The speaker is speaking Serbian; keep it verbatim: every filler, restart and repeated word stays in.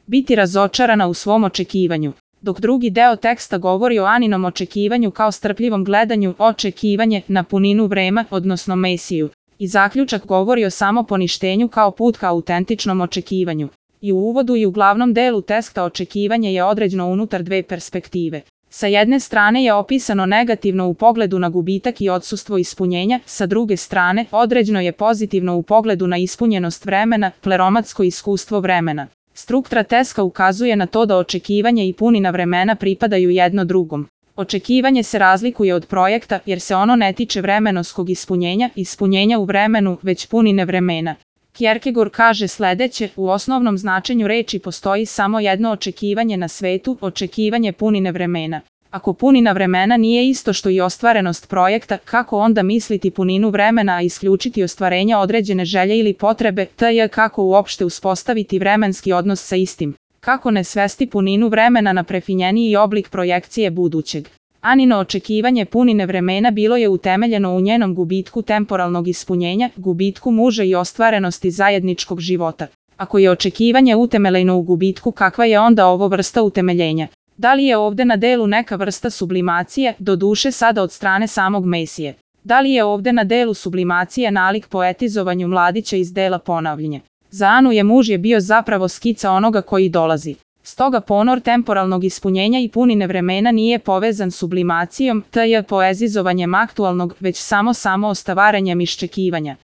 biti razočarana u svom očekivanju. Dok drugi deo teksta govori o Aninom očekivanju kao strpljivom gledanju, očekivanje na puninu vremena, odnosno Mesiju. I zaključak govori o samoponištenju kao put ka autentičnom očekivanju. I u uvodu i u glavnom delu teksta očekivanje je određeno unutar dve perspektive. Sa jedne strane je opisano negativno u pogledu na gubitak i odsustvo ispunjenja, sa druge strane određeno je pozitivno u pogledu na ispunjenost vremena, pleromatsko iskustvo vremena. Struktura teksta ukazuje na to da očekivanje i punina vremena pripadaju jedno drugom. Očekivanje se razlikuje od projekta jer se ono ne tiče vremenskog ispunjenja, ispunjenja u vremenu, već punine vremena. Kierkegaard kaže sledeće, u osnovnom značenju reči postoji samo jedno očekivanje na svetu, očekivanje punine vremena. Ako punina vremena nije isto što i ostvarenost projekta, kako onda misliti puninu vremena, a isključiti ostvarenja određene želje ili potrebe, tj. kako uopšte uspostaviti vremenski odnos sa istim? Kako ne svesti puninu vremena na prefinjeniji oblik projekcije budućeg? Anino očekivanje punine vremena bilo je utemeljeno u njenom gubitku temporalnog ispunjenja, gubitku muža i ostvarenosti zajedničkog života. Ako je očekivanje utemeljeno u gubitku, kakva je onda ovo vrsta utemeljenja? Da li je ovde na delu neka vrsta sublimacije, do duše sada od strane samog Mesije? Da li je ovde na delu sublimacije nalik poetizovanju mladića iz dela Ponavljanje? Za Anu je muž je bio zapravo skica onoga koji dolazi. Stoga ponor temporalnog ispunjenja i punine vremena nije povezan sublimacijom, tj. poezizovanjem aktualnog, već samo samo ostavaranjem iščekivanja.